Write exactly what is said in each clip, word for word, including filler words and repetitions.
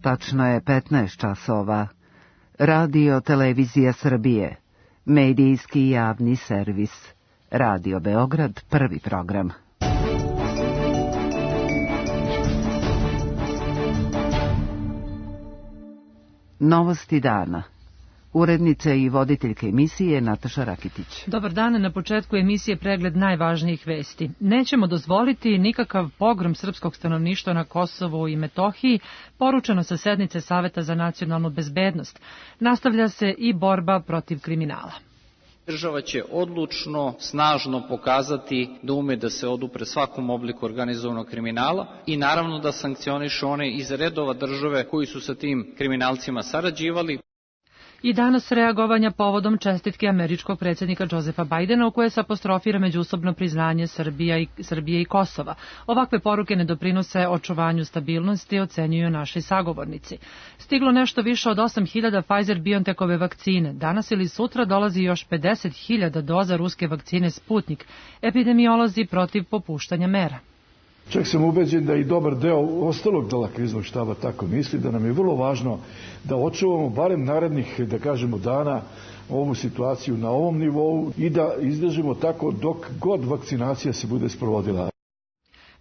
Tačno je petnaest časova. Radio Televizija Srbije. Medijski javni servis. Radio Beograd, prvi program. Novosti dana. Urednica i voditeljka emisije Nataša Rakitić. Dobar dan, na početku emisije pregled najvažnijih vesti. Nećemo dozvoliti nikakav pogrom srpskog stanovništva na Kosovu i Metohiji, poručeno sa sednice Saveta za nacionalnu bezbednost. Nastavlja se i borba protiv kriminala. Država će odlučno, snažno pokazati da ume da se odupre svakom obliku organizovanog kriminala i naravno da sankcioniše one iz redova države koji su sa tim kriminalcima sarađivali. I danas reagovanja povodom čestitke američkog predsjednika Josefa Bajdena u koje se apostrofira međusobno priznanje Srbija i, Srbije i Kosova. Ovakve poruke ne doprinose očuvanju stabilnosti, ocenjuju naši sagovornici. Stiglo nešto više od osam hiljada Pfizer-BioNTechove vakcine. Danas ili sutra dolazi još pedeset hiljada doza ruske vakcine Sputnik. Epidemiolozi protiv popuštanja mera. Čak sam ubeđen da i dobar deo ostalog dela kriznog štaba tako misli, da nam je vrlo važno da očuvamo barem narednih, da kažemo, dana ovu situaciju na ovom nivou i da izdržimo tako dok god vakcinacija se bude sprovodila.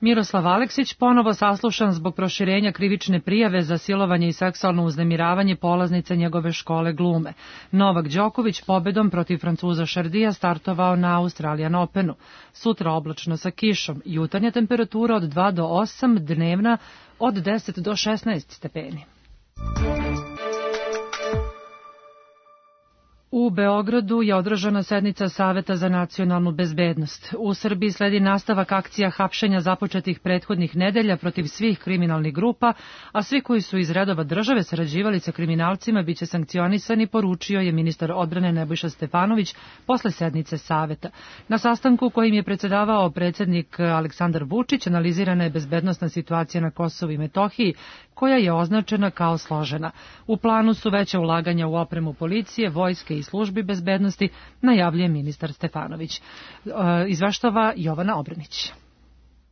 Miroslav Aleksić ponovo saslušan zbog proširenja krivične prijave za silovanje i seksualno uznemiravanje polaznice njegove škole glume. Novak Đoković pobedom protiv Francuza Šardija startovao na Australian Openu. Sutra oblačno sa kišom, jutarnja temperatura od dva do osam, dnevna od deset do šesnaest stepeni. U Beogradu je održana sednica Saveta za nacionalnu bezbednost. U Srbiji sledi nastavak akcija hapšenja započetih prethodnih nedelja protiv svih kriminalnih grupa, a svi koji su iz redova države sarađivali sa kriminalcima biće sankcionisani, poručio je ministar odbrane Nebojša Stefanović posle sednice Saveta. Na sastanku kojim je predsedavao predsjednik Aleksandar Vučić analizirana je bezbednosna situacija na Kosovu i Metohiji, koja je označena kao složena. U planu su veća ulaganja u opremu policije, vojske i službi bezbednosti, najavljuje ministar Stefanović. Izveštava Jovana Obranić.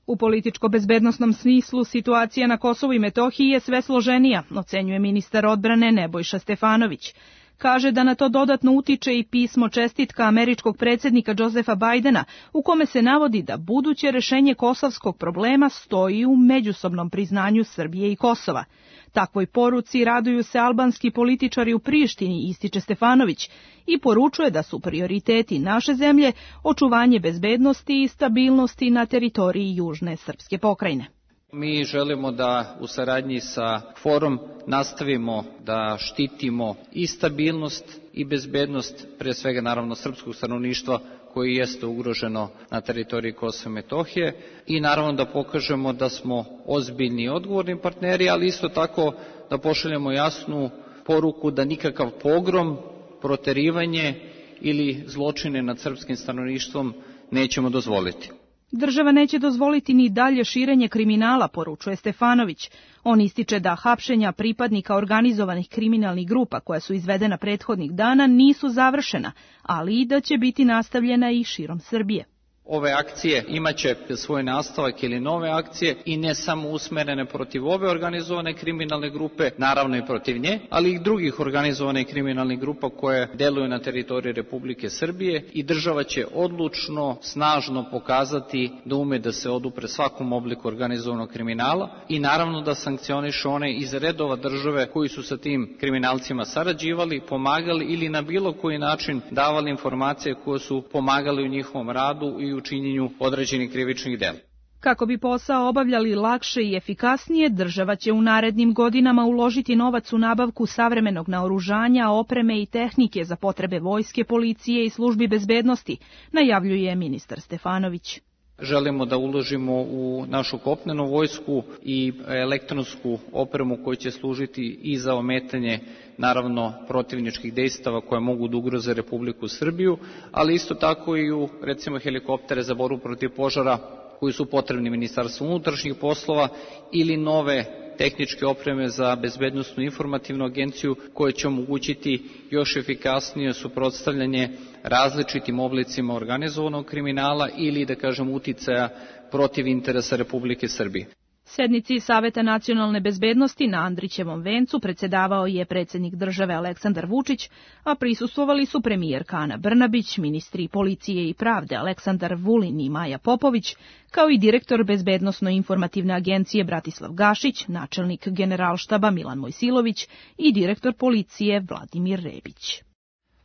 U političko-bezbednosnom smislu situacija na Kosovu i Metohiji je sve složenija, ocenjuje ministar odbrane Nebojša Stefanović. Kaže da na to dodatno utiče i pismo čestitka američkog predsjednika Josefa Bajdena, u kome se navodi da buduće rešenje kosovskog problema stoji u međusobnom priznanju Srbije i Kosova. Takvoj poruci raduju se albanski političari u Prištini, ističe Stefanović, i poručuje da su prioriteti naše zemlje očuvanje bezbednosti i stabilnosti na teritoriji južne srpske pokrajine. Mi želimo da u saradnji sa Forum nastavimo da štitimo i stabilnost i bezbednost, pre svega naravno srpskog stanovništva koji jeste ugroženo na teritoriji Kosova i Metohije, i naravno da pokažemo da smo ozbiljni i odgovorni partneri, ali isto tako da pošaljemo jasnu poruku da nikakav pogrom, proterivanje ili zločine nad srpskim stanovništvom nećemo dozvoliti. Država neće dozvoliti ni dalje širenje kriminala, poručuje Stefanović. On ističe da hapšenja pripadnika organizovanih kriminalnih grupa koja su izvedena prethodnih dana nisu završena, ali i da će biti nastavljena i širom Srbije. Ove akcije imaće svoj nastavak ili nove akcije i ne samo usmerene protiv ove organizovane kriminalne grupe, naravno i protiv nje, ali i drugih organizovanih kriminalnih grupa koje deluju na teritoriji Republike Srbije, i država će odlučno, snažno pokazati da ume da se odupre svakom obliku organizovanog kriminala i naravno da sankcioniše one iz redova države koji su sa tim kriminalcima sarađivali, pomagali ili na bilo koji način davali informacije koje su pomagali u njihovom radu i u činjenju određenih krivičnih dela. Kako bi posao obavljali lakše i efikasnije, država će u narednim godinama uložiti novac u nabavku savremenog naoružanja, opreme i tehnike za potrebe vojske, policije i službi bezbednosti, najavljuje ministar Stefanović. Želimo da uložimo u našu kopnenu vojsku i elektronsku opremu koja će služiti i za ometanje, naravno, protivničkih dejstava koje mogu da ugroze Republiku Srbiju, ali isto tako i u, recimo, helikoptere za borbu protiv požara koji su potrebni Ministarstvu unutrašnjih poslova ili nove tehničke opreme za bezbednosnu informativnu agenciju koje će omogućiti još efikasnije suprotstavljanje različitim oblicima organizovanog kriminala ili, da kažem, uticaja protiv interesa Republike Srbije. Sednici Saveta nacionalne bezbednosti na Andrićevom vencu predsedavao je predsjednik države Aleksandar Vučić, a prisustvovali su premijerka Ana Brnabić, ministri policije i pravde Aleksandar Vulin i Maja Popović, kao i direktor Bezbednosno-informativne agencije Bratislav Gašić, načelnik Generalštaba Milan Mojsilović i direktor policije Vladimir Rebić.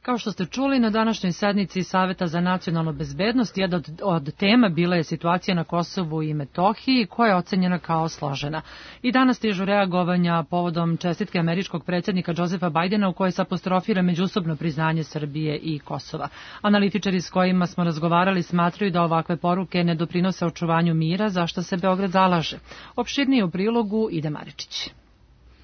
Kao što ste čuli, na današnjoj sednici Saveta za nacionalnu bezbednost jedna od, od tema bila je situacija na Kosovu i Metohiji, koja je ocenjena kao složena. I danas stižu reagovanja povodom čestitke američkog predsjednika Josefa Bajdena u kojoj se apostrofira međusobno priznanje Srbije i Kosova. Analitičari s kojima smo razgovarali smatraju da ovakve poruke ne doprinose očuvanju mira, za što se Beograd zalaže. Opširnije u prilogu Ide Maričić.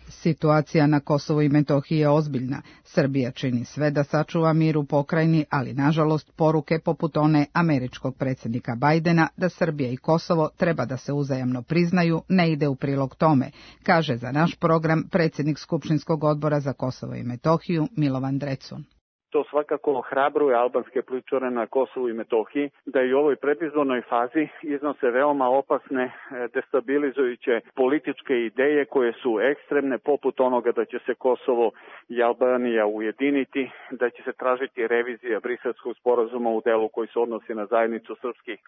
Situacija na Kosovu i Metohiji je ozbiljna. Srbija čini sve da sačuva mir u pokrajini, ali nažalost poruke poput one američkog predsjednika Bajdena da Srbija i Kosovo treba da se uzajamno priznaju ne ide u prilog tome, kaže za naš program predsjednik Skupštinskog odbora za Kosovo i Metohiju Milovan Drecun. To svakako ohrabruje albanske političare na Kosovu i Metohiji da i u ovoj predizbornoj fazi iznose veoma opasne, destabilizujuće političke ideje koje su ekstremne, poput onoga da će se Kosovo i Albanija ujediniti, da će se tražiti revizija Briselskog sporazuma u delu koji se odnosi na zajednicu srpskih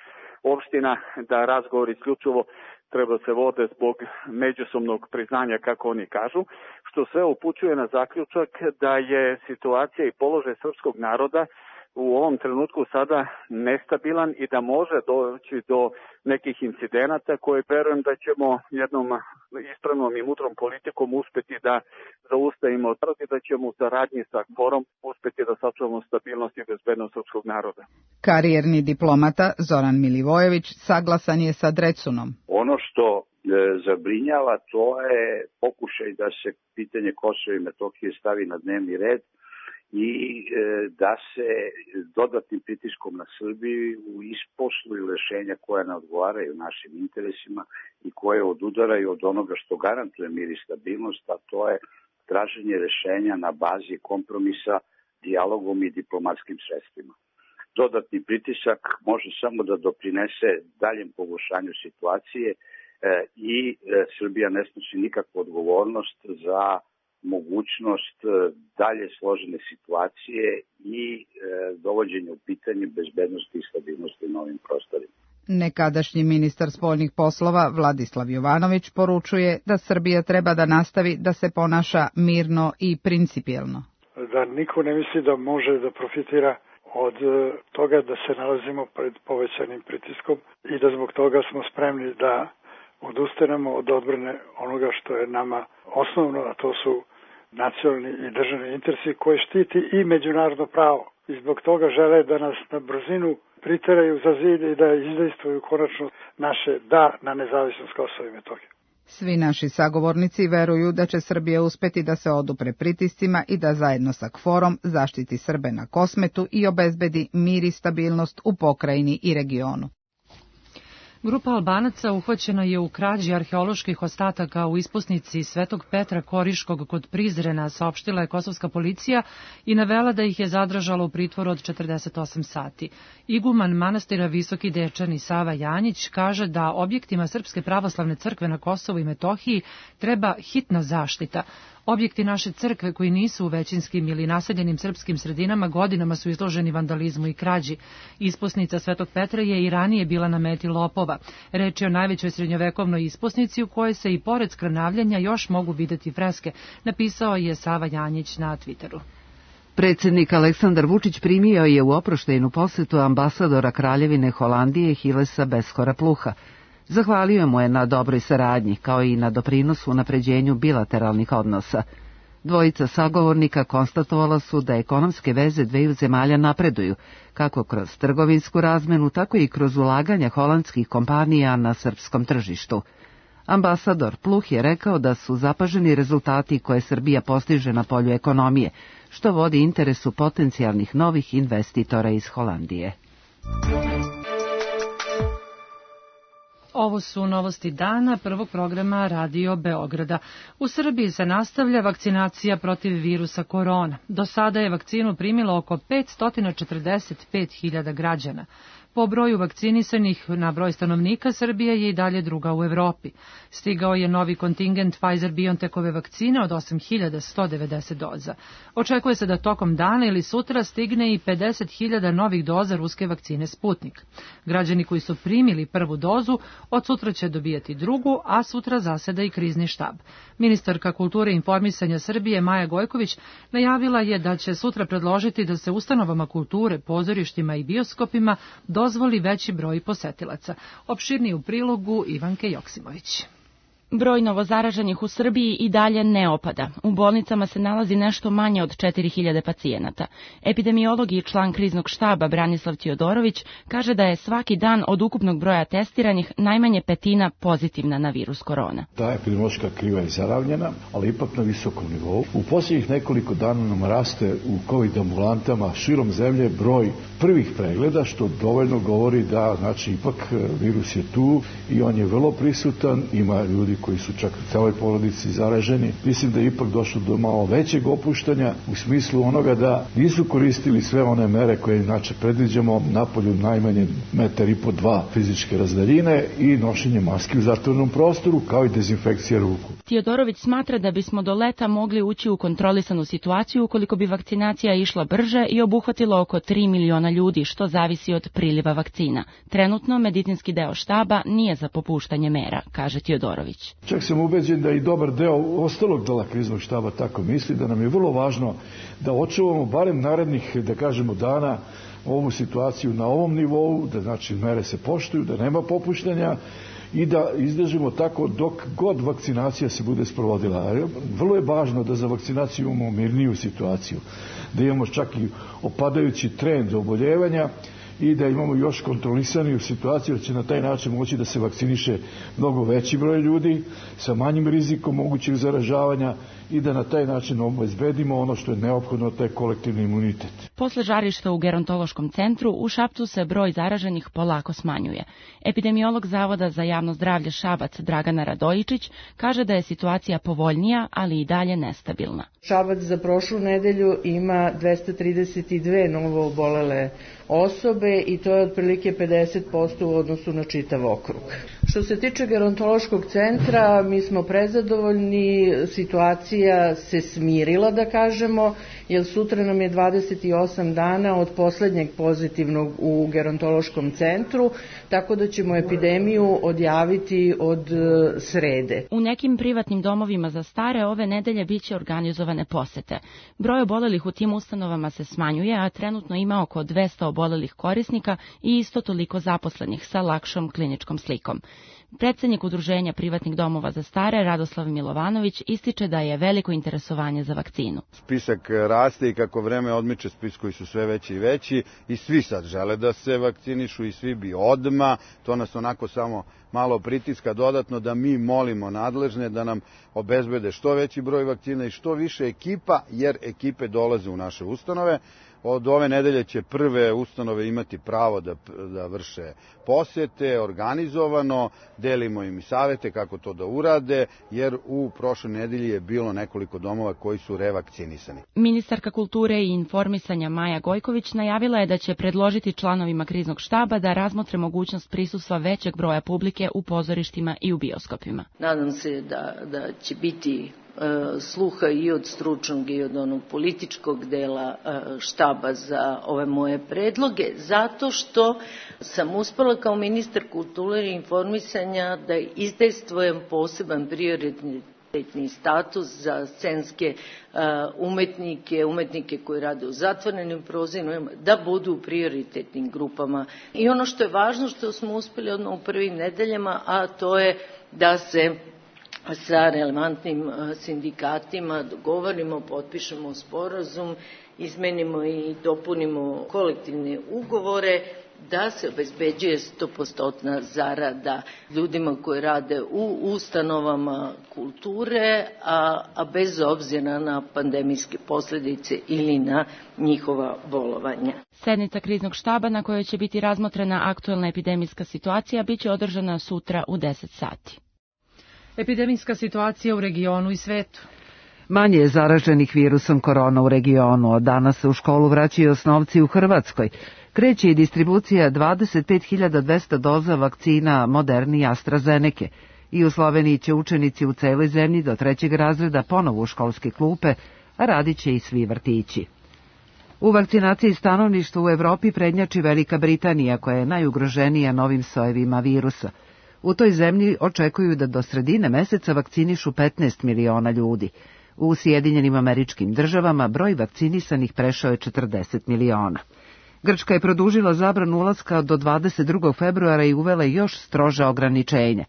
opština, da razgovor isključivo treba se vode zbog međusobnog priznanja, kako oni kažu, što sve upućuje na zaključak da je situacija i položaj srpskog naroda u ovom trenutku sada nestabilan i da može doći do nekih incidenata koje verujem da ćemo jednom ispravnom i mudrom politikom uspeti da zaustavimo i da ćemo u saradnji sa KFOR-om uspeti da sačuvamo stabilnost i bezbednost srpskog naroda. Karijerni diplomata Zoran Milivojević saglasan je sa Drecunom. Ono što e, zabrinjava to je pokušaj da se pitanje Kosova i Metohije stavi na dnevni red i e, da se dodatnim pritiskom na Srbiju isposluju rešenja koja ne odgovaraju našim interesima i koje odudaraju od onoga što garantuje mir i stabilnost, a to je traženje rešenja na bazi kompromisa, dijalogom i diplomatskim sredstvima. Dodatni pritisak može samo da doprinese daljem pogoršanju situacije e, i e, Srbija ne snosi nikakvu odgovornost za mogućnost dalje složene situacije i e, dovođenja u pitanje bezbednosti i stabilnosti na ovim prostorima. Nekadašnji ministar spoljnih poslova Vladislav Jovanović poručuje da Srbija treba da nastavi da se ponaša mirno i principijelno. Da niko ne misli da može da profitira od toga da se nalazimo pred povećanim pritiskom i da zbog toga smo spremni da odustanemo od odbrane onoga što je nama osnovno, a to su nacionalni i državni interesi koji štiti i međunarodno pravo. I zbog toga žele da nas na brzinu priteraju za zid i da izdejstvuju konačno naše da na nezavisnost Kosova i Metohije. Svi naši sagovornici veruju da će Srbija uspeti da se odupre pritiscima i da zajedno sa KFOR-om zaštiti Srbe na Kosmetu i obezbedi mir i stabilnost u pokrajini i regionu. Grupa Albanaca uhvaćena je u krađi arheoloških ostataka u ispusnici Svetog Petra Koriškog kod Prizrena, saopštila je kosovska policija i navela da ih je zadržala u pritvoru od četrdeset osam sati. Iguman manastira Visoki Dečani Sava Janjić kaže da objektima Srpske pravoslavne crkve na Kosovu i Metohiji treba hitna zaštita. Objekti naše crkve koji nisu u većinskim ili naseljenim srpskim sredinama godinama su izloženi vandalizmu i krađi. Ispusnica Svetog Petra je i ranije bila na meti lopova. Reč je o najvećoj srednjovekovnoj ispusnici u kojoj se i pored skrnavljanja još mogu videti freske, napisao je Sava Janjić na Twitteru. Predsjednik Aleksandar Vučić primio je u oproštajnu posetu ambasadora Kraljevine Holandije Hilesa Beskora Pluha. Zahvalio mu je na dobroj saradnji, kao i na doprinosu unapređenju bilateralnih odnosa. Dvojica sagovornika konstatovala su da ekonomske veze dveju zemalja napreduju, kako kroz trgovinsku razmenu, tako i kroz ulaganja holandskih kompanija na srpskom tržištu. Ambasador Pluh je rekao da su zapaženi rezultati koje Srbija postiže na polju ekonomije, što vodi interesu potencijalnih novih investitora iz Holandije. Ovo su novosti dana prvog programa Radio Beograda. U Srbiji se nastavlja vakcinacija protiv virusa korona. Do sada je vakcinu primilo oko petsto četrdeset pet hiljada građana. Po broju vakcinisanih na broj stanovnika Srbija je i dalje druga u Evropi. Stigao je novi kontingent Pfizer-BioNTechove vakcine od osam hiljada sto devedeset doza. Očekuje se da tokom dana ili sutra stigne i pedeset hiljada novih doza ruske vakcine Sputnik. Građani koji su primili prvu dozu od sutra će dobijati drugu, a sutra zaseda i krizni štab. Ministarka kulture i informisanja Srbije Maja Gojković najavila je da će sutra predložiti da se ustanovama kulture, pozorištima i bioskopima dozvoli veći broj posetilaca. Opširniji u prilogu Ivanke Joksimović. Broj novozaraženih u Srbiji i dalje ne opada. U bolnicama se nalazi nešto manje od četiri hiljade pacijenata. Epidemiolog i član kriznog štaba Branislav Tijodorović kaže da je svaki dan od ukupnog broja testiranih najmanje petina pozitivna na virus korona. Ta epidemiološka kriva je zaravnjena, ali ipak na visokom nivou. U posljednjih nekoliko dana nam raste u COVID ambulantama širom zemlje broj prvih pregleda, što dovoljno govori da, znači, ipak virus je tu i on je vrlo prisutan, ima ljudi koji su čak u celoj porodici zaraženi. Mislim da je ipak došlo do malo većeg opuštanja u smislu onoga da nisu koristili sve one mere koje inače predviđamo, napolju najmanje metar i po dva fizičke razdaljine i nošenje maski u zatvorenom prostoru, kao i dezinfekcija ruku. Tijodorović smatra da bismo do leta mogli ući u kontrolisanu situaciju ukoliko bi vakcinacija išla brže i obuhvatila oko tri miliona ljudi, što zavisi od priliva vakcina. Trenutno medicinski deo štaba nije za popuštanje mera, kaže Tijodorović. Čak sam ubeđen da i dobar deo ostalog dela kriznog štaba tako misli, da nam je vrlo važno da očuvamo barem narednih, da kažemo, dana ovu situaciju na ovom nivou, da znači mere se poštuju, da nema popuštanja i da izdržimo tako dok god vakcinacija se bude sprovodila. Vrlo je važno da za vakcinaciju imamo mirniju situaciju, da imamo čak i opadajući trend oboljevanja i da imamo još kontrolisaniju situaciju, da će na taj način moći da se vakciniše mnogo veći broj ljudi sa manjim rizikom mogućeg zaražavanja i da na taj način obezbedimo ono što je neophodno, taj kolektivni imunitet. Posle žarišta u gerontološkom centru u Šapcu se broj zaraženih polako smanjuje. Epidemiolog Zavoda za javno zdravlje Šabac Dragana Radojičić kaže da je situacija povoljnija, ali i dalje nestabilna. Šabac za prošlu nedelju ima dvesta trideset dve novo obolele osobe i to je otprilike pedeset posto u odnosu na čitav okrug. Što se tiče gerontološkog centra, mi smo prezadovoljni, situacija se smirila, da kažemo, jer sutra nam je dvadeset osam dana od poslednjeg pozitivnog u gerontološkom centru, tako da ćemo epidemiju odjaviti od srede. U nekim privatnim domovima za stare ove nedelje biće organizovane posete. Broj obolelih u tim ustanovama se smanjuje, a trenutno ima oko dvesta obolelih korisnika i isto toliko zaposlenih sa lakšom kliničkom slikom. Predsednik Udruženja privatnih domova za stare, Radoslav Milovanović, ističe da je veliko interesovanje za vakcinu. Spisak raste i kako vreme odmiče, spiskovi su sve veći i veći i svi sad žele da se vakcinišu i svi bi odma. To nas onako samo malo pritiska dodatno da mi molimo nadležne da nam obezbede što veći broj vakcina i što više ekipa, jer ekipe dolaze u naše ustanove. Od ove nedelje će prve ustanove imati pravo da, da vrše posete, organizovano, delimo im i savete kako to da urade, jer u prošloj nedelji je bilo nekoliko domova koji su revakcinisani. Ministarka kulture i informisanja Maja Gojković najavila je da će predložiti članovima kriznog štaba da razmotre mogućnost prisustva većeg broja publike u pozorištima i u bioskopima. Nadam se da, da će biti sluha i od stručnog i od onog političkog dela štaba za ove moje predloge, zato što sam uspela kao ministar kulture i informisanja da izdejstvujem poseban prioritetni status za scenske umetnike, umetnike koji rade u zatvorenim prozirima, da budu u prioritetnim grupama. I ono što je važno, što smo uspeli odmah u prvim nedeljama, a to je da se sa relevantnim sindikatima dogovorimo, potpišemo sporazum, izmenimo i dopunimo kolektivne ugovore da se obezbeđuje stopostotna zarada ljudima koji rade u ustanovama kulture, a, a bez obzira na pandemijske posljedice ili na njihova bolovanja. Sednica kriznog štaba na kojoj će biti razmotrena aktuelna epidemijska situacija biće održana sutra u deset sati. Epidemijska situacija u regionu i svetu. Manje je zaraženih virusom korona u regionu. Od danas se u školu vraćaju osnovci u Hrvatskoj. Kreće i distribucija dvadeset pet hiljada dvesta doza vakcina Moderni i AstraZeneke. I u Sloveniji će učenici u celoj zemlji do trećeg razreda ponovo u školske klupe, a radit će i svi vrtići. U vakcinaciji stanovništva u Evropi prednjači Velika Britanija, koja je najugroženija novim sojevima virusa. U toj zemlji očekuju da do sredine meseca vakcinišu petnaest miliona ljudi. U Sjedinjenim Američkim Državama broj vakcinisanih prešao je četrdeset miliona. Grčka je produžila zabranu ulaska do dvadeset drugog februara i uvela još stroža ograničenja.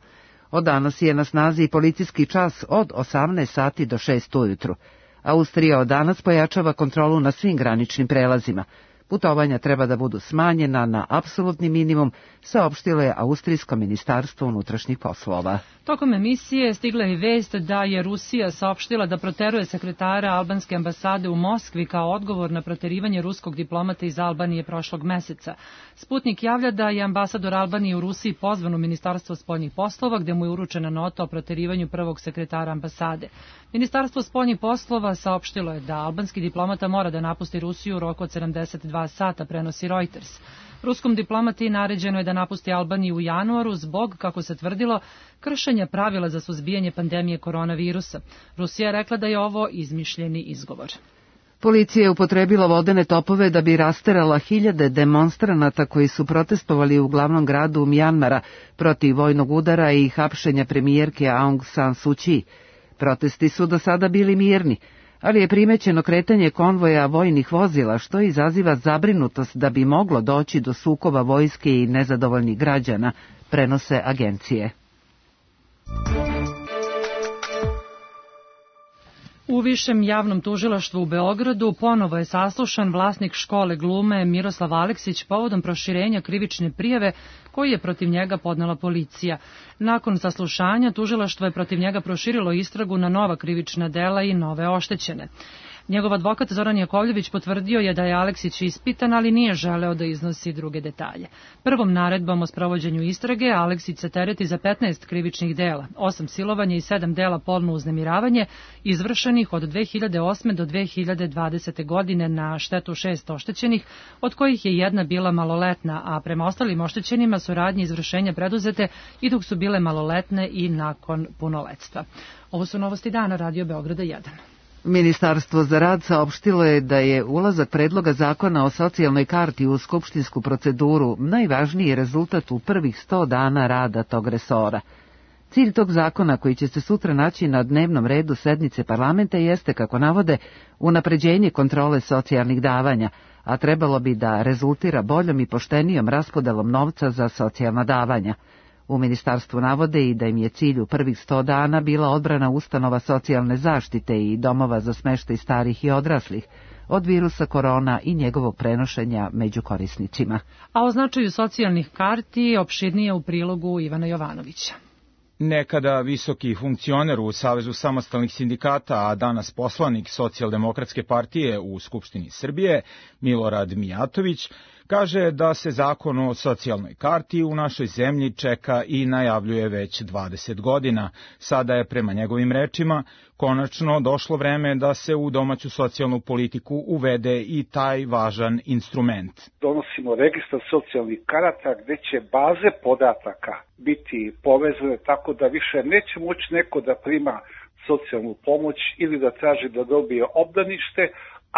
Od danas je na snazi policijski čas od osamnaest sati do šest ujutru. Austrija od danas pojačava kontrolu na svim graničnim prelazima. Putovanja treba da budu smanjena na apsolutni minimum, saopštilo je Austrijsko ministarstvo unutrašnjih poslova. Tokom emisije stigla je vest da je Rusija saopštila da proteruje sekretara albanske ambasade u Moskvi kao odgovor na proterivanje ruskog diplomata iz Albanije prošlog meseca. Sputnik javlja da je ambasador Albanije u Rusiji pozvan u Ministarstvo spoljnih poslova, gde mu je uručena nota o proterivanju prvog sekretara ambasade. Ministarstvo spoljnih poslova saopštilo je da albanski diplomata mora da napusti Rusiju u roku od sedamdeset dva sata, prenosi Reuters. Ruskom diplomati naređeno je da napusti Albaniju u januaru zbog, kako se tvrdilo, kršenja pravila za suzbijanje pandemije koronavirusa. Rusija je rekla da je ovo izmišljeni izgovor. Policija je upotrebila vodene topove da bi rasterala hiljade demonstranata koji su protestovali u glavnom gradu Mjanmara protiv vojnog udara i hapšenja premijerke Aung San Suu Kyi. Protesti su do sada bili mirni, ali je primećeno kretanje konvoja vojnih vozila, što izaziva zabrinutost da bi moglo doći do sukoba vojske i nezadovoljnih građana, prenose agencije. U Višem javnom tužilaštvu u Beogradu ponovo je saslušan vlasnik škole glume Miroslav Aleksić povodom proširenja krivične prijave koju je protiv njega podnela policija. Nakon saslušanja tužilaštvo je protiv njega proširilo istragu na nova krivična dela i nove oštećene. Njegov advokat Zoran Jakovljević potvrdio je da je Aleksić ispitan, ali nije želeo da iznosi druge detalje. Prvom naredbom o sprovođenju istrage Aleksić se tereti za petnaest krivičnih dela, osam silovanja i sedam dela polno uznemiravanje, izvršenih od dve hiljade osme do dve hiljade dvadesete godine na štetu šest oštećenih, od kojih je jedna bila maloletna, a prema ostalim oštećenima su radnje izvršenja preduzete i dok su bile maloletne i nakon punoletstva. Ovo su novosti dana Radio Beograda jedan. Ministarstvo za rad saopštilo je da je ulazak predloga zakona o socijalnoj karti u skupštinsku proceduru najvažniji rezultat u prvih sto dana rada tog resora. Cilj tog zakona, koji će se sutra naći na dnevnom redu sednice parlamenta, jeste, kako navode, unapređenje kontrole socijalnih davanja, a trebalo bi da rezultira boljom i poštenijom raspodelom novca za socijalna davanja. U ministarstvu navode i da im je cilj u prvih sto dana bila odbrana ustanova socijalne zaštite i domova za smeštaj starih i odraslih od virusa korona i njegovog prenošenja među korisnicima. A o značaju socijalnih karti opširnije u prilogu Ivana Jovanovića. Nekada visoki funkcioner u Savezu samostalnih sindikata, a danas poslanik Socijaldemokratske partije u Skupštini Srbije, Milorad Mijatović, kaže da se zakon o socijalnoj karti u našoj zemlji čeka i najavljuje već dvadeset godina. Sada je, prema njegovim rečima, konačno došlo vreme da se u domaću socijalnu politiku uvede i taj važan instrument. Donosimo registar socijalnih karata gde će baze podataka biti povezane tako da više neće moći neko da prima socijalnu pomoć ili da traži da dobije obdanište,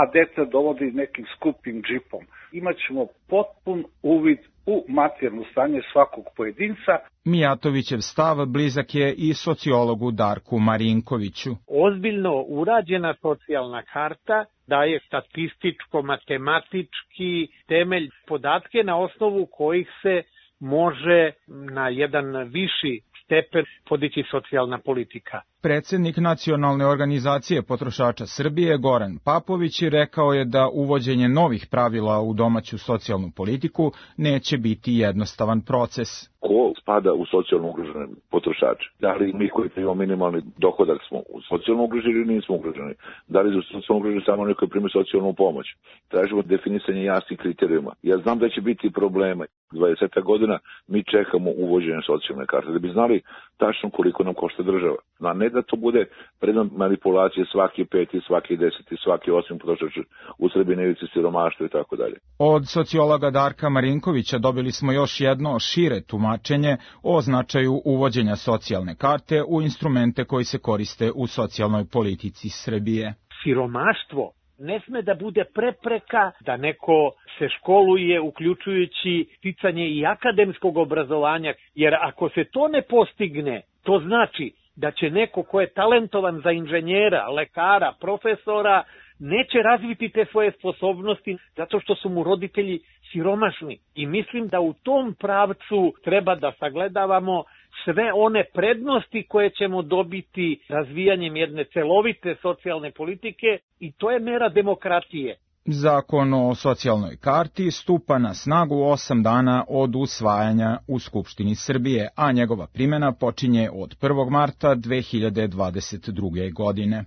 a dete dovodi nekim skupim džipom. Imaćemo potpun uvid u materijalno stanje svakog pojedinca. Mijatovićev stav blizak je i sociologu Darku Marinkoviću. Ozbiljno urađena socijalna karta daje statističko-matematički temelj, podatke na osnovu kojih se može na jedan viši stepen podići socijalna politika. Predsednik Nacionalne organizacije potrošača Srbije Goran Papović rekao je da uvođenje novih pravila u domaću socijalnu politiku neće biti jednostavan proces. Ko spada u socijalno ugrožene potrošače? Da li mi koji primamo minimalni dohodak smo socijalno ugroženi ili nismo ugroženi? Da li su socijalno ugroženi samo neko koji prima socijalnu pomoć? Tražimo definisanje jasnih kriterijuma. Ja znam da će biti problema. dvadeset godina mi čekamo uvođenje socijalne karte da bi znali tačno koliko nam košta država. A ne da to bude predmet manipulacije svaki peti, svaki deseti, svaki osmi potrošač u Srbiji na ivici siromaštva i tako dalje. Od sociologa Darka Marinkovića dobili smo još jedno šire tumačenje o značaju uvođenja socijalne karte u instrumente koji se koriste u socijalnoj politici Srbije. Siromaštvo ne sme da bude prepreka da neko se školuje, uključujući sticanje i akademskog obrazovanja, jer ako se to ne postigne, to znači da će neko ko je talentovan za inženjera, lekara, profesora, neće razviti te svoje sposobnosti zato što su mu roditelji siromašni. I mislim da u tom pravcu treba da sagledavamo sve one prednosti koje ćemo dobiti razvijanjem jedne celovite socijalne politike i to je mera demokratije. Zakon o socijalnoj karti stupa na snagu osam dana od usvajanja u Skupštini Srbije, a njegova primjena počinje od prvog marta dve hiljade dvadeset druge. godine.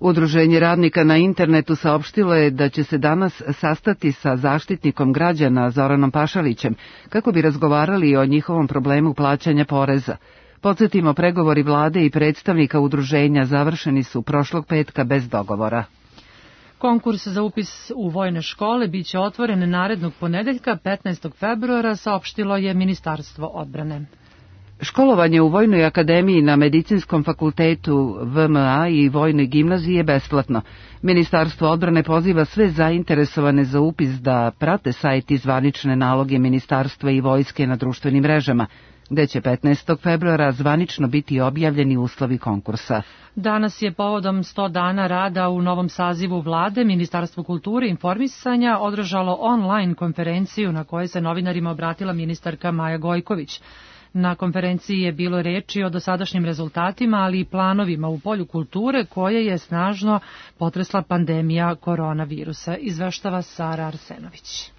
Udruženje radnika na internetu saopštilo je da će se danas sastati sa zaštitnikom građana Zoranom Pašalićem kako bi razgovarali o njihovom problemu plaćanja poreza. Podsjetimo, pregovori vlade i predstavnika udruženja završeni su prošlog petka bez dogovora. Konkurs za upis u vojne škole biće otvoren narednog ponedeljka petnaestog februara, saopštilo je Ministarstvo odbrane. Školovanje u Vojnoj akademiji na Medicinskom fakultetu V M A i Vojnoj gimnaziji je besplatno. Ministarstvo odbrane poziva sve zainteresovane za upis da prate sajt i zvanične naloge ministarstva i vojske na društvenim mrežama, gde će petnaestog februara zvanično biti objavljeni uslovi konkursa. Danas je povodom sto dana rada u novom sazivu vlade Ministarstvo kulture i informisanja održalo online konferenciju na kojoj se novinarima obratila ministarka Maja Gojković. Na konferenciji je bilo reči o dosadašnjim rezultatima, ali i planovima u polju kulture koje je snažno potresla pandemija koronavirusa, izveštava Sara Arsenović.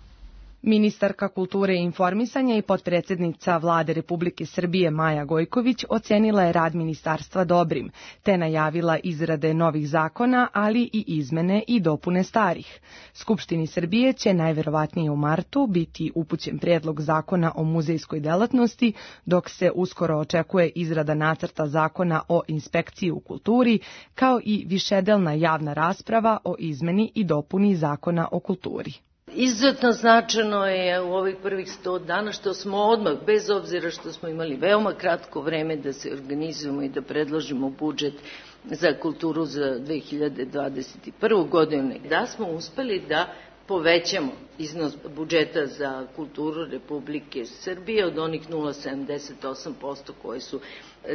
Ministarka kulture i informisanja i potpredsednica Vlade Republike Srbije Maja Gojković ocenila je rad ministarstva dobrim, te najavila izrade novih zakona, ali i izmene i dopune starih. Skupštini Srbije će najverovatnije u martu biti upućen prijedlog zakona o muzejskoj delatnosti, dok se uskoro očekuje izrada nacrta zakona o inspekciji u kulturi, kao i višedelna javna rasprava o izmeni i dopuni zakona o kulturi. Izuzetno značajno je u ovih prvih sto dana što smo odmah, bez obzira što smo imali veoma kratko vreme da se organizujemo i da predložimo budžet za kulturu za dve hiljade dvadeset prvu. godinu, da smo uspeli da povećamo iznos budžeta za kulturu Republike Srbije od onih nula zarez sedamdeset osam posto koje su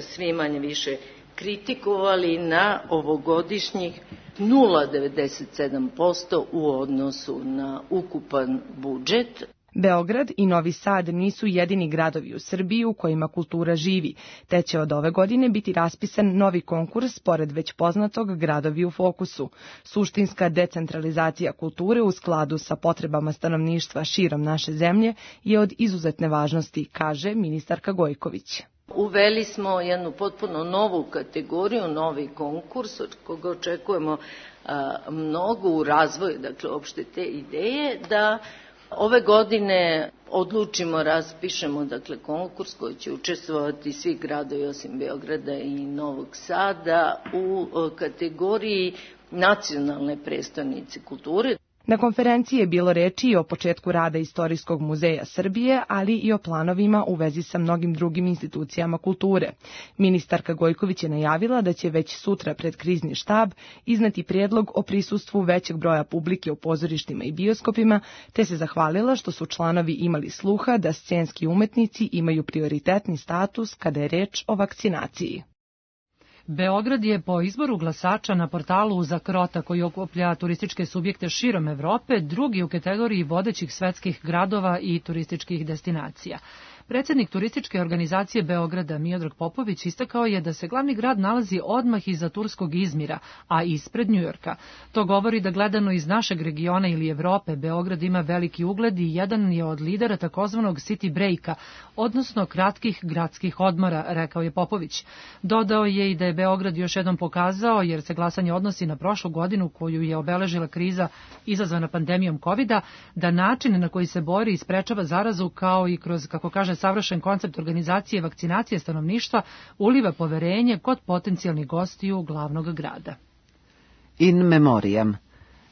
svi manje više kritikovali na ovogodišnjih nula zarez devedeset sedam posto u odnosu na ukupan budžet. Beograd i Novi Sad nisu jedini gradovi u Srbiji u kojima kultura živi, te će od ove godine biti raspisan novi konkurs pored već poznatog Gradovi u fokusu. Suštinska decentralizacija kulture u skladu sa potrebama stanovništva širom naše zemlje je od izuzetne važnosti, kaže ministarka Gojković. Uveli smo jednu potpuno novu kategoriju, novi konkurs, od koga očekujemo a, mnogo u razvoju, dakle, opšte te ideje, da ove godine odlučimo, raspišemo, dakle, konkurs koji će učestvovati svi gradovi osim Beograda i Novog Sada u a, kategoriji nacionalne prestonice kulture. Na konferenciji je bilo reči i o početku rada Istorijskog muzeja Srbije, ali i o planovima u vezi sa mnogim drugim institucijama kulture. Ministarka Gojković je najavila da će već sutra pred krizni štab izneti prijedlog o prisustvu većeg broja publike u pozorištima i bioskopima, te se zahvalila što su članovi imali sluha da scenski umetnici imaju prioritetni status kada je reč o vakcinaciji. Beograd je po izboru glasača na portalu za Krota, koji okuplja turističke subjekte širom Evrope, drugi u kategoriji vodećih svetskih gradova i turističkih destinacija. Predsjednik turističke organizacije Beograda Miodrag Popović istakao je da se glavni grad nalazi odmah iza turskog Izmira, a ispred Njujorka. To govori da gledano iz našeg regiona ili Evrope, Beograd ima veliki ugled i jedan je od lidera takozvanog city breaka, odnosno kratkih gradskih odmora, rekao je Popović. Dodao je i da je Beograd još jednom pokazao, jer se glasanje odnosi na prošlu godinu koju je obeležila kriza izazvana pandemijom kovida, da način na koji se bori i sprečava zarazu, kao i kroz, kako kaže, savršen koncept organizacije vakcinacije stanovništva, uliva poverenje kod potencijalnih gostiju glavnog grada. In memoriam.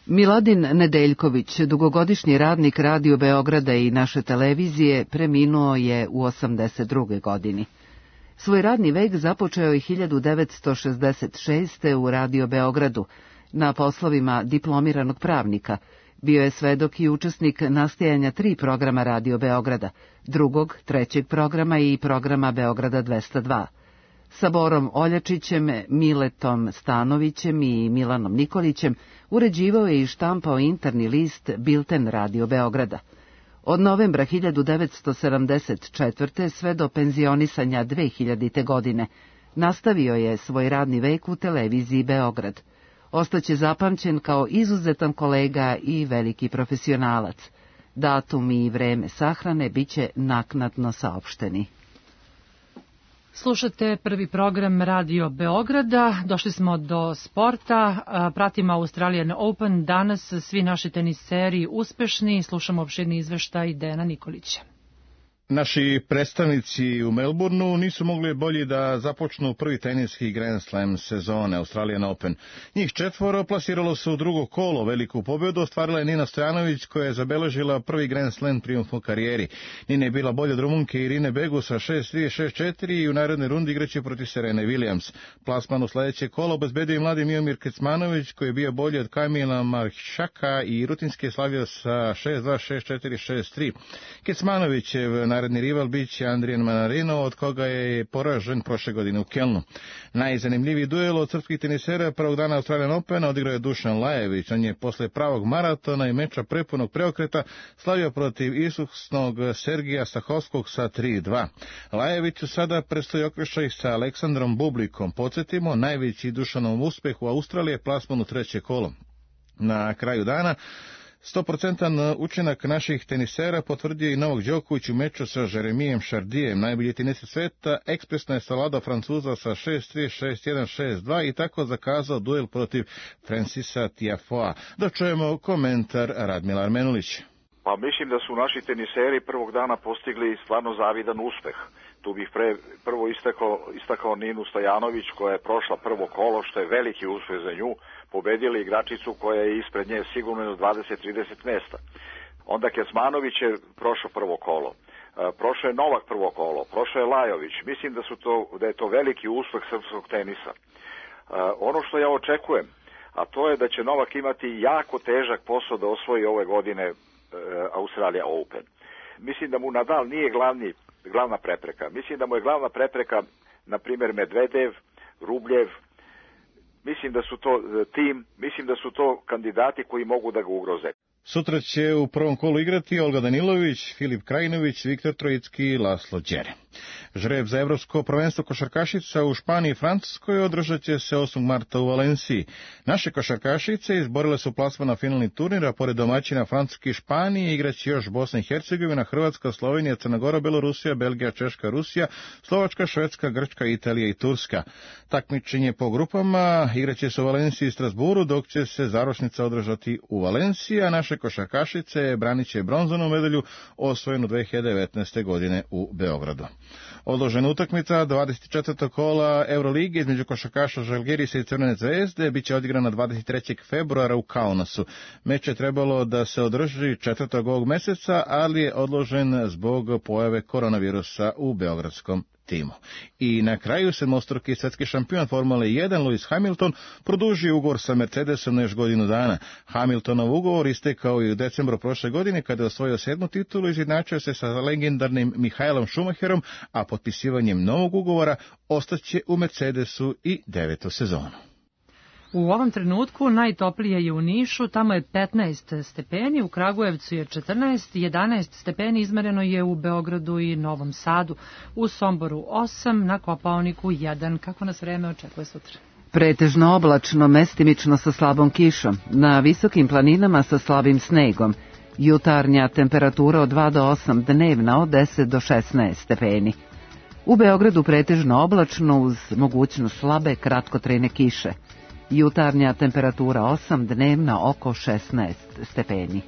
Miladin Nedeljković, dugogodišnji radnik Radio Beograda i naše televizije, preminuo je u osamdeset druge godini. Svoj radni vek započeo je hiljadu devetsto šezdeset šeste. u Radio Beogradu, na poslovima diplomiranog pravnika. Bio je svedok i učesnik nastajanja tri programa Radio Beograda, drugog, trećeg programa i programa Beograda dvesta dva. Sa Borom Oljačićem, Miletom Stanovićem i Milanom Nikolićem uređivao je i štampao interni list Bilten Radio Beograda. Od novembra hiljadu devetsto sedamdeset četvrte. sve do penzionisanja dve hiljadite. godine nastavio je svoj radni vek u televiziji Beograd. Ostaće zapamćen kao izuzetan kolega i veliki profesionalac. Datum i vreme sahrane biće naknadno saopšteni. Slušate prvi program Radio Beograda. Došli smo do sporta. Pratimo Australian Open. Danas svi naši teniseri uspešni. Slušamo opširni izveštaj Dejana Nikolića. Naši predstavnici u Melbourneu nisu mogli bolje da započnu prvi teniski Grand Slam sezone Australian Open. Njih četvoro plasiralo se u drugo kolo. Veliku pobjedu ostvarila je Nina Stojanović, koja je zabeležila prvi Grand Slam trijumf u karijeri. Nina je bila bolja od Rumunke Irine Begu sa šest tri šest četiri i u narednoj rundi igraće protiv Serene Williams. Plasman u sledeće kolo obezbedio i mladi Miomir Kecmanović, koji je bio bolji od Kamila Maršaka i rutinski je slavio sa šest dva šest četiri šest tri. Kecmanovićev naredni rival biće Andrijan Manarino, od koga je poražen prošle godine u Kelnu. Najzanimljiviji duel od srpskih tenisera prvog dana Australian Opena odigrao je Dušan Lajević. On je posle pravog maratona i meča prepunog preokreta slavio protiv iskusnog Sergija Stahovskog sa tri dva. Lajeviću sada predstoji okršaj sa Aleksandrom Bublikom. Podsjetimo, najveći Dušanov uspeh u Australiji je plasman u treće kolo. Na kraju dana sto posto učinak naših tenisera potvrdio i Novak Đoković u meču sa Jeremijem Šardijem. Najbolji teniser sveta ekspresno je savladao Francuza sa šest tri šest jedan šest dva i tako zakazao duel protiv Francisa Tiafoea. Da čujemo komentar Radmila Armenulića. Pa mislim da su naši teniseri prvog dana postigli stvarno zavidan uspeh. Tu bih pre, prvo istakao, istakao Ninu Stojanović, koja je prošla prvo kolo, što je veliki uspeh za nju. Pobedili igračicu koja je ispred nje sigurno do dvadeset do trideset mesta. Onda Kecmanović je prošao prvo kolo. Prošao je Novak prvo kolo, prošao je Lajović. Mislim da su to da je to veliki uspeh srpskog tenisa. Ono što ja očekujem, a to je da će Novak imati jako težak posao da osvoji ove godine Australia Open. Mislim da mu Nadal nije glavni, glavna prepreka. Mislim da mu je glavna prepreka, na primjer, Medvedev, Rubljev. Mislim da su to tim, mislim da su to kandidati koji mogu da ga ugroze. Sutra će u prvom kolu igrati Olga Danilović, Filip Krajinović, Viktor Trojicki i Laslo Đere. Žreb za evropsko prvenstvo košarkašica u Španiji i Francuskoj održat će se osmog marta u Valenciji. Naše košarkašice izborile su plasman na finalni turnir, a pored domaćina Francuske i Španije igraće još Bosna i Hercegovina, Hrvatska, Slovenija, Crna Gora, Belorusija, Belgija, Češka, Rusija, Slovačka, Švedska, Grčka, Italija i Turska. Takmičenje po grupama igraće se u Valenciji i Strasburu, dok će se završnica održati u Valenciji, a naše košarkašice branit će bronzanu medalju osvojenu dve hiljade devetnaeste. godine u Beogradu. Odložena utakmica dvadeset četvrtog kola Eurolige između košarkaša Žalgirisa i Crvene zvezde biće odigrana dvadeset trećeg februara u Kaunasu. Meč je trebalo da se održi četvrtog ovog meseca, ali je odložen zbog pojave koronavirusa u beogradskom timu. I na kraju sedmostruki svetski šampion Formule jedan Lewis Hamilton produžio ugovor sa Mercedesom na još godinu dana. Hamiltonov ugovor istekao i u decembru prošle godine kada je osvojio sedmu titulu i izjednačio se sa legendarnim Michaelom Schumacherom, a potpisivanjem novog ugovora ostaće u Mercedesu i devetu sezonu. U ovom trenutku najtoplije je u Nišu, tamo je petnaest stepeni, u Kragujevcu je četrnaest, jedanaest stepeni izmereno je u Beogradu i Novom Sadu, u Somboru osam, na Kopaoniku jedan. Kako nas vreme očekuje sutra? Pretežno oblačno, mestimično sa slabom kišom, na visokim planinama sa slabim snegom. Jutarnja temperatura od dva do osam, dnevna od deset do šesnaest stepeni. U Beogradu pretežno oblačno uz mogućnost slabe kratkotrajne kiše. Jutarnja temperatura osam, dnevna oko šesnaest stepeni.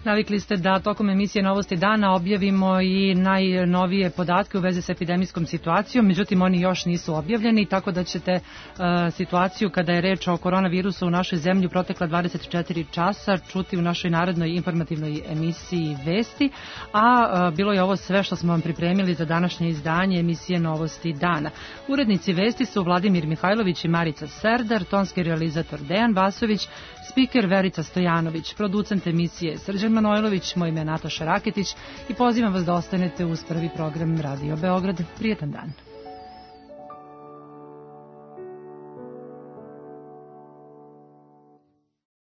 Navikli ste da tokom emisije Novosti dana objavimo i najnovije podatke u vezi sa epidemijskom situacijom, međutim oni još nisu objavljeni, tako da ćete uh, situaciju kada je reč o koronavirusu u našoj zemlji protekla dvadeset četiri časa čuti u našoj narodnoj informativnoj emisiji Vesti, a uh, bilo je ovo sve što smo vam pripremili za današnje izdanje emisije Novosti dana. Urednici Vesti su Vladimir Mihajlović i Marica Serdar, tonski realizator Dejan Vasović, spiker Verica Stojanović, producent emisije Srđan Manojlović, moj ime je Nataša Raketić i pozivam vas da ostanete uz prvi program Radio Beograd. Prijetan dan.